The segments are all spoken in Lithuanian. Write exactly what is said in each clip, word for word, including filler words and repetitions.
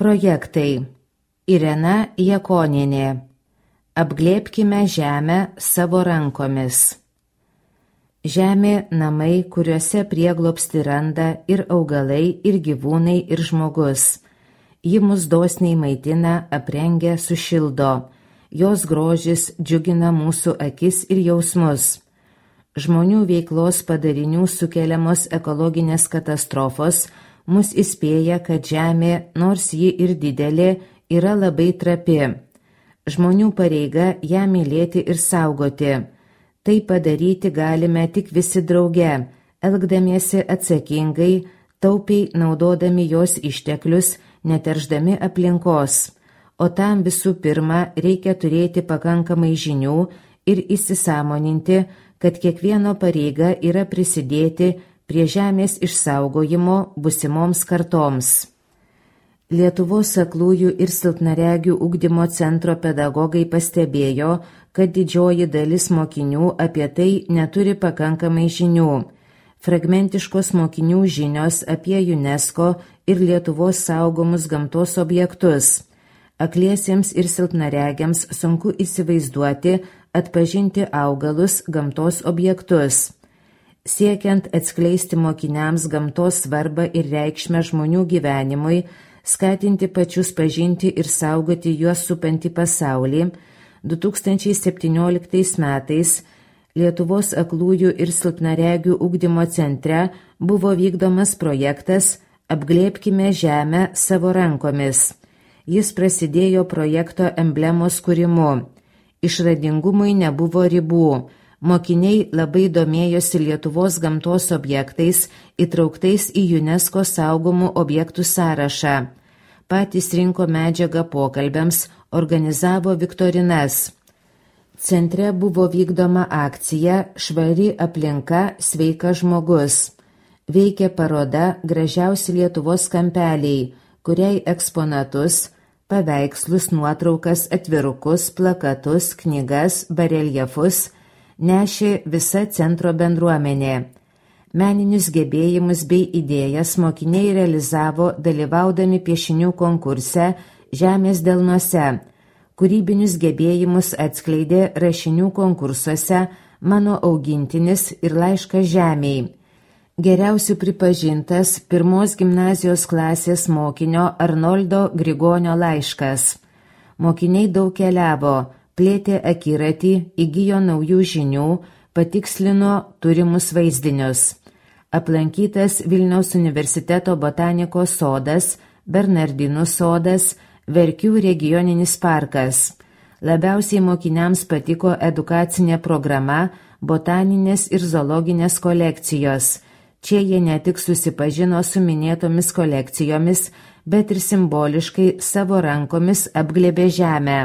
Projektai. Irena Jakonienė. Apglėbkime žemę savo rankomis. Žemė – namai, kuriuose prieglobstį randa ir augalai, ir gyvūnai, ir žmogus. Ji mus dosniai maitina, aprengia, sušildo. Jos grožis džiugina mūsų akis ir jausmus. Žmonių veiklos padarinių sukeliamos ekologinės katastrofos mus įspėja, kad žemė, nors ji ir didelė, yra labai trapi. Žmonių pareiga ją mylėti ir saugoti. Tai padaryti galime tik visi drauge, elgdamiesi atsakingai, taupiai naudodami jos išteklius, neteršdami aplinkos. O tam visų pirma reikia turėti pakankamai žinių ir įsisąmoninti, kad kiekvieno pareiga yra prisidėti prie žemės išsaugojimo busimoms kartoms. Lietuvos aklųjų ir silpnaregių ugdymo centro pedagogai pastebėjo, kad didžioji dalis mokinių apie tai neturi pakankamai žinių. Fragmentiškos mokinių žinios apie UNESCO ir Lietuvos saugomus gamtos objektus. Akliesiems ir silpnaregiams sunku įsivaizduoti, atpažinti augalus, gamtos objektus. Siekiant atskleisti mokiniams gamtos svarbą ir reikšmę žmonių gyvenimui, skatinti pačius pažinti ir saugoti juos supantį pasaulį, du tūkstančiai septynioliktais metais Lietuvos aklųjų ir silpnaregių ugdymo centre buvo vykdomas projektas Apglėbkime žemę savo rankomis. Jis prasidėjo projekto emblemos kūrimu. Išradingumui nebuvo ribų. Mokiniai labai domėjosi Lietuvos gamtos objektais, įtrauktais į UNESCO saugomų objektų sąrašą. Patys rinko medžiagą pokalbiams, organizavo viktorinas. Centre buvo vykdoma akcija Švari aplinka, sveikas žmogus. Veikė paroda Gražiausi Lietuvos kampeliai, kuriai eksponatus, paveikslus, nuotraukas, atvirukus, plakatus, knygas, bareljefus nešė visa centro bendruomenė. Meninius gebėjimus bei idėjas mokiniai realizavo dalyvaudami piešinių konkurse Žemės delnuose. Kūrybinius gebėjimus atskleidė rašinių konkursuose Mano augintinis ir Laiškas žemei. Geriausių pripažintas pirmos gimnazijos klasės mokinio Arnoldo Grigonio laiškas. Mokiniai daug keliavo, plėtė akiratį, įgijo naujų žinių, patikslino turimus vaizdinius. Aplankytas Vilniaus universiteto botanikos sodas, Bernardinų sodas, Verkių regioninis parkas. Labiausiai mokiniams patiko edukacinė programa, botaninės ir zoologinės kolekcijos. Čia jie ne tik susipažino su minėtomis kolekcijomis, bet ir simboliškai savo rankomis apglėbė žemę.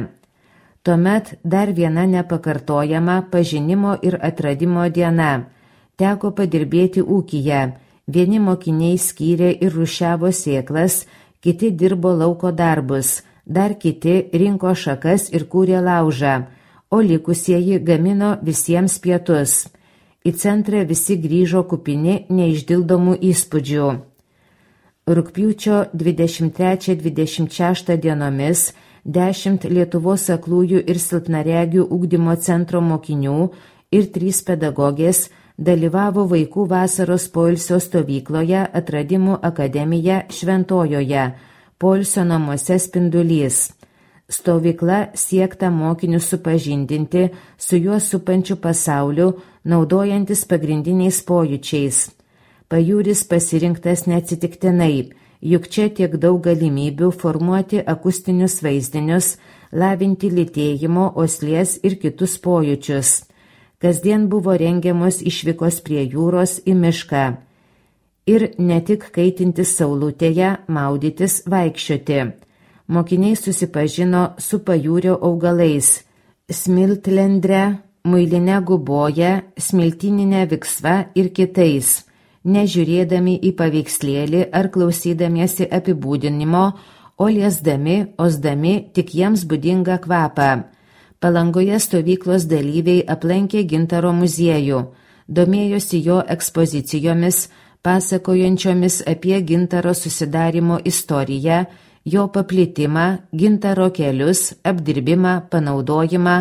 Tuomet dar viena nepakartojama pažinimo ir atradimo diena. Teko padirbėti ūkyje. Vieni mokiniai skyrė ir rūšiavo sėklas, kiti dirbo lauko darbus, dar kiti rinko šakas ir kūrė laužą, o likusieji gamino visiems pietus. Į centrą visi grįžo kupini neišdildomų įspūdžių. Rugpjūčio dvidešimt trečią dvidešimt šeštą dienomis dešimt Lietuvos aklųjų ir silpnaregių ugdymo centro mokinių ir trys pedagogės dalyvavo vaikų vasaros poilsio stovykloje Atradimų akademija Šventojoje, poilsio namuose Spindulys. Stovykla siekta mokinius supažindinti su juos supančiu pasauliu, naudojantis pagrindiniais pojūčiais. Pajūris pasirinktas neatsitiktinai, juk čia tiek daug galimybių formuoti akustinius vaizdinius, lavinti lytėjimo, uoslės ir kitus pojūčius. Kasdien buvo rengiamos išvykos prie jūros į mišką. Ir ne tik kaitintis saulutėje, maudytis, vaikščioti. Mokiniai susipažino su pajūrio augalais – smiltlendre, muiline guboje, smiltininė viksva ir kitais. Nežiūrėdami į paveikslėlį ar klausydamiesi apibūdinimo, o liesdami, osdami tik jiems būdingą kvapą. Palangoje stovyklos dalyviai aplankė Gintaro muziejų, domėjosi jo ekspozicijomis, pasakojančiomis apie gintaro susidarimo istoriją jo paplitimą, gintaro kelius, apdirbimą, panaudojimą,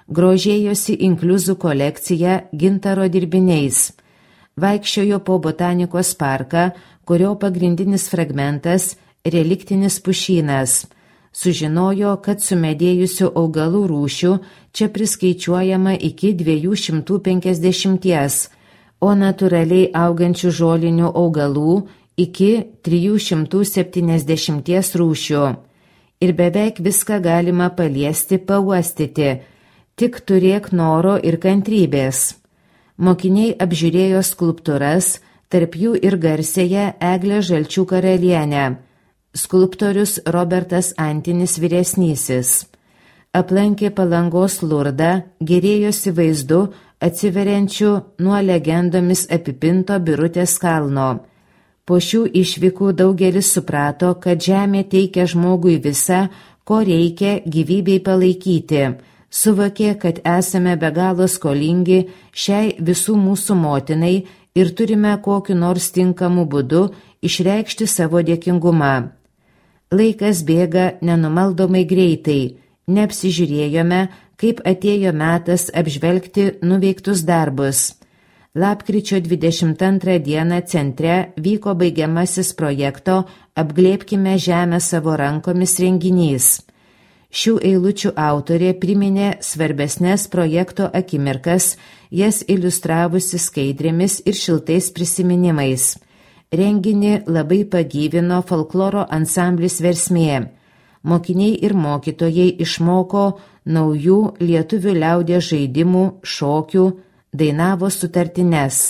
grožėjosi inkliuzų kolekcija gintaro dirbiniais. Vaikščiojo po botanikos parką, kurio pagrindinis fragmentas – reliktinis pušynas. Sužinojo, kad sumedėjusių augalų rūšių čia priskaičiuojama iki dviejų šimtų penkiasdešimties, o natūraliai augančių žolinių augalų iki trijų šimtų septyniasdešimties rūšių. Ir beveik viską galima paliesti, pauostyti, tik turėk noro ir kantrybės. Mokiniai apžiūrėjo skulptūras, tarp jų ir garsėją Eglę Žalčių karalienę. Skulptorius Robertas Antinis vyresnysis. Aplankė Palangos Lurdą, gėrėjosi vaizdu atsiveriančiu nuo legendomis apipinto Birutės kalno. Po šių išvykų daugelis suprato, kad žemė teikia žmogui visą, ko reikia gyvybei palaikyti. Suvokė, kad esame be galo skolingi šiai visų mūsų motinai ir turime kokiu nors tinkamu būdu išreikšti savo dėkingumą. Laikas bėga nenumaldomai greitai, neapsižiūrėjome, kaip atėjo metas apžvelgti nuveiktus darbus. Lapkričio dvidešimt antrą dieną centre vyko baigiamasis projekto Apglėbkime žemę savo rankomis renginys. Šių eilučių autorė priminė svarbesnės projekto akimirkas, jas iliustravusi skaidrėmis ir šiltais prisiminimais. Renginį labai pagyvino folkloro ansamblis Versmė. Mokiniai ir mokytojai išmoko naujų lietuvių liaudies žaidimų, šokių, dainavo sutartines.